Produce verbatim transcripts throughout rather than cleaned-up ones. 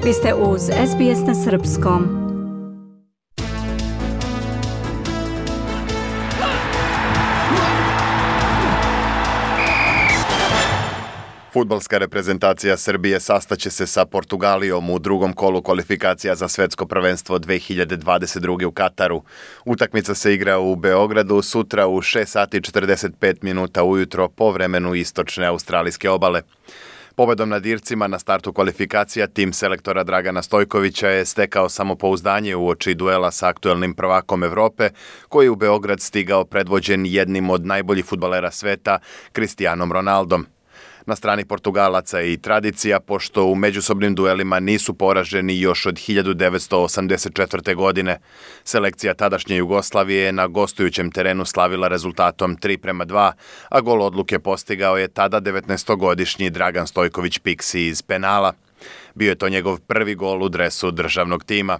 Vi ste uz S B S na srpskom. Fudbalska reprezentacija Srbije sastaće se sa Portugalijom u drugom kolu kvalifikacija za svetsko prvenstvo dve hiljade dvadeset druge. u Kataru. Utakmica se igra u Beogradu sutra u šest sati i četrdeset pet minuta ujutro po vremenu istočne australijske obale. Pobedom nad Ircima na startu kvalifikacija tim selektora Dragana Stojkovića je stekao samopouzdanje uoči duela sa aktuelnim prvakom Evrope, koji je u Beograd stigao predvođen jednim od najboljih fudbalera sveta, Cristianom Ronaldom. Na strani Portugalaca je i tradicija, pošto u međusobnim duelima nisu poraženi još od hiljadu devetsto osamdeset četvrte. godine. Selekcija tadašnje Jugoslavije je na gostujućem terenu slavila rezultatom tri prema dva, a gol odluke postigao je tada devetnaestogodišnji Dragan Stojković Piksi iz penala. Bio je to njegov prvi gol u dresu državnog tima.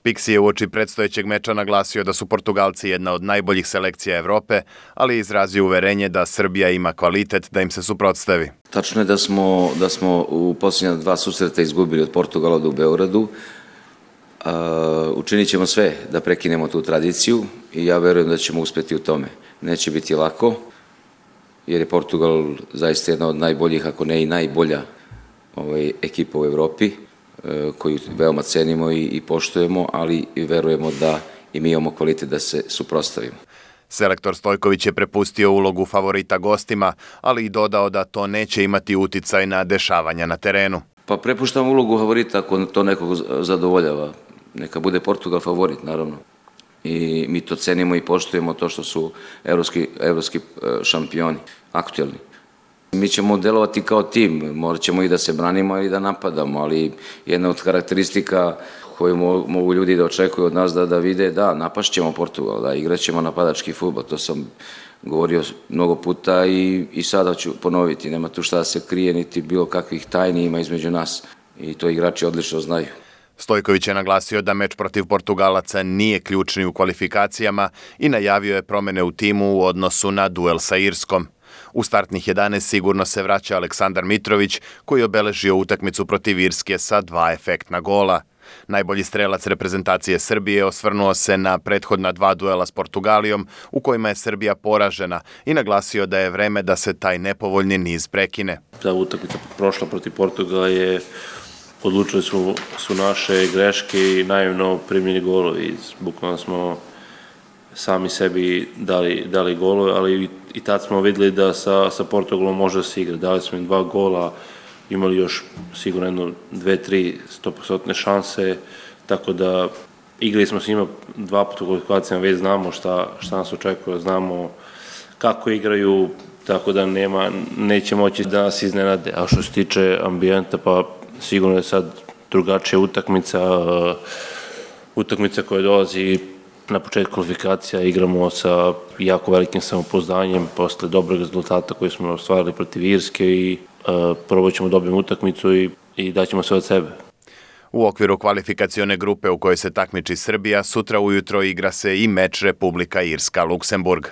Piksi je uoči predstojećeg meča naglasio da su Portugalci jedna od najboljih selekcija Evrope, ali izrazio uverenje da Srbija ima kvalitet da im se suprotstavi. Tačno je da smo, da smo u posljednja dva susreta izgubili od Portugala u Beogradu. Uh, učinit ćemo sve da prekinemo tu tradiciju i ja verujem da ćemo uspjeti u tome. Neće biti lako, jer je Portugal zaista jedna od najboljih, ako ne i najbolja ovaj, ekipa u Evropi, koju veoma cenimo i, i poštujemo, ali i verujemo da i mi imamo kvalitet da se suprotstavimo. Selektor Stojković je prepustio ulogu favorita gostima, ali i dodao da to neće imati uticaj na dešavanja na terenu. Pa prepuštam ulogu favorita ako to nekog zadovoljava. Neka bude Portugal favorit, naravno. I mi to cenimo i poštujemo to što su evropski, evropski šampioni, aktuelni. Mi ćemo delovati kao tim, morat ćemo i da se branimo i da napadamo, ali jedna od karakteristika koju mogu ljudi da očekuju od nas da, da vide, da, napašćemo Portugal, da igraćemo napadački fudbal, to sam govorio mnogo puta i, i sada ću ponoviti, nema tu šta da se krije, niti bilo kakvih tajni ima između nas i to igrači odlično znaju. Stojković je naglasio da meč protiv Portugalaca nije ključni u kvalifikacijama i najavio je promene u timu u odnosu na duel sa Irskom. U startnih jedanaest sigurno se vraća Aleksandar Mitrović, koji je obeležio utakmicu protiv Irske sa dva efektna gola. Najbolji strelac reprezentacije Srbije osvrnuo se na prethodna dva duela s Portugalijom, u kojima je Srbija poražena, i naglasio da je vreme da se taj nepovoljni niz prekine. Ta utakmica prošla protiv Portugala je, odlučili su, su naše greške i naivno primljeni golovi. Bukvalno smo sami sebi dali, dali golove, ali i tad smo vidjeli da sa, sa Portugalom može da se igra. Dali smo im dva gola, imali još sigurno jedno, dve, tri stopostotne šanse, tako da igrali smo s njima dva puta u kvalifikacijama, već znamo šta, šta nas očekuje, znamo kako igraju, tako da nema, neće moći da nas iznenade. A što se tiče ambijenta, pa sigurno je sad drugačija utakmica, utakmica koja dolazi na početku kvalifikacija, igramo sa jako velikim samopouzdanjem posle dobrog rezultata koji smo ostvarili protiv Irske i uh, probat ćemo dobiti utakmicu i, i daćemo sve od sebe. U okviru kvalifikacione grupe u kojoj se takmiči Srbija, sutra ujutro igra se i meč Republika Irska-Luksemburg.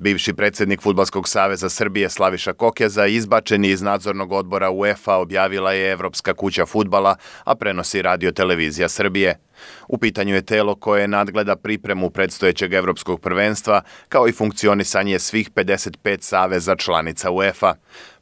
Bivši predsjednik Fudbalskog saveza Srbije Slaviša Kokeza izbačen je iz nadzornog odbora UEFA, objavila je Evropska kuća fudbala, a prenosi Radio televizija Srbije. U pitanju je telo koje nadgleda pripremu predstojećeg evropskog prvenstva, kao i funkcionisanje svih pedeset pet saveza članica UEFA.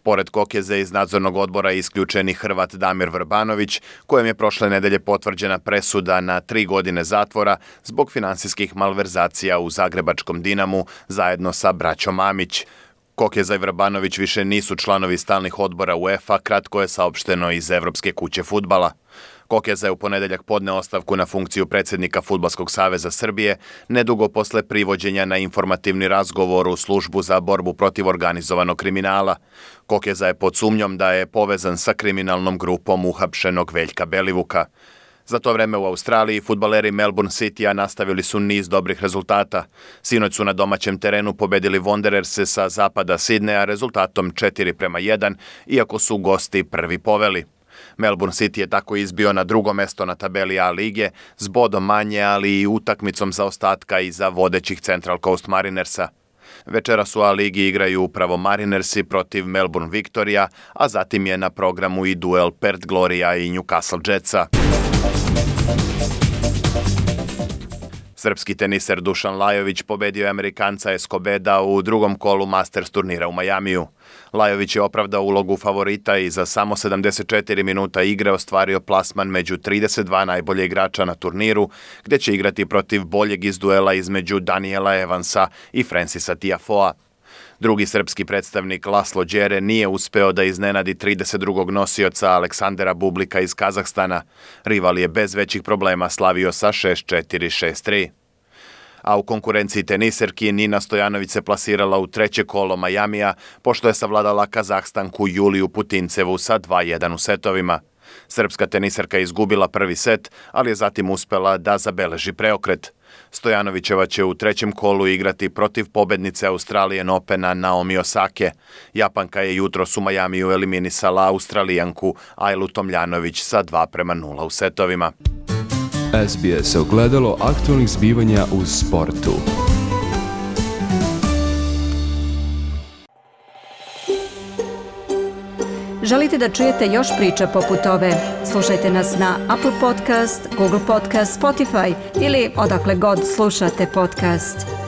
Pored Kokeze iz nadzornog odbora isključeni Hrvat Damir Vrbanović, kojem je prošle nedelje potvrđena presuda na tri godine zatvora zbog finansijskih malverzacija u zagrebačkom Dinamu zajedno sa braćom Mamić. Kokeza i Vrbanović više nisu članovi stalnih odbora UEFA, kratko je saopšteno iz Evropske kuće fudbala. Kokeza je u ponedeljak podneo ostavku na funkciju predsjednika Fudbalskog saveza Srbije, nedugo posle privođenja na informativni razgovor u službu za borbu protiv organizovanog kriminala. Kokeza je pod sumnjom da je povezan sa kriminalnom grupom uhapšenog Veljka Belivuka. Za to vreme u Australiji fudbaleri Melbourne Citya nastavili su niz dobrih rezultata. Sinoć su na domaćem terenu pobedili Wandererse sa zapada Sidneja rezultatom četiri prema jedan, iako su gosti prvi poveli. Melbourne City je tako izbio na drugo mesto na tabeli A lige s bodom manje, ali i utakmicom zaostatka iza vodećih Central Coast Marinersa. Večeras u A-ligi igraju upravo Marinersi protiv Melbourne Victoria, a zatim je na programu i duel Perth Gloria i Newcastle Jetsa. Srpski teniser Dušan Lajović pobedio je Amerikanca Escobeda u drugom kolu Masters turnira u Majamiju. Lajović je opravdao ulogu favorita i za samo sedamdeset četiri minuta igre ostvario plasman među trideset dva najbolje igrača na turniru, gde će igrati protiv boljeg iz duela između Daniela Evansa i Francisa Tiafoea. Drugi srpski predstavnik Laslo Đere nije uspeo da iznenadi trideset drugog nosioca Aleksandera Bublika iz Kazahstana. Rival je bez većih problema slavio sa šest četiri šest tri. A u konkurenciji teniserki Nina Stojanović se plasirala u treće kolo Majamija, pošto je savladala Kazahstanku Juliju Putincevu sa dva jedan u setovima. Srpska teniserka je izgubila prvi set, ali je zatim uspela da zabeleži preokret. Stojanovićeva će u trećem kolu igrati protiv pobednice Australian Opena Naomi Osake. Japanka je jutros u Majamiju eliminisala Australijanku Ajlu Tomljanović sa dva prema nula u setovima. S B S ogledalo aktualnih zbivanja u sportu. Želite da čujete još priča poput ove? Slušajte nas na Apple Podcast, Google Podcast, Spotify ili odakle god slušate podcast.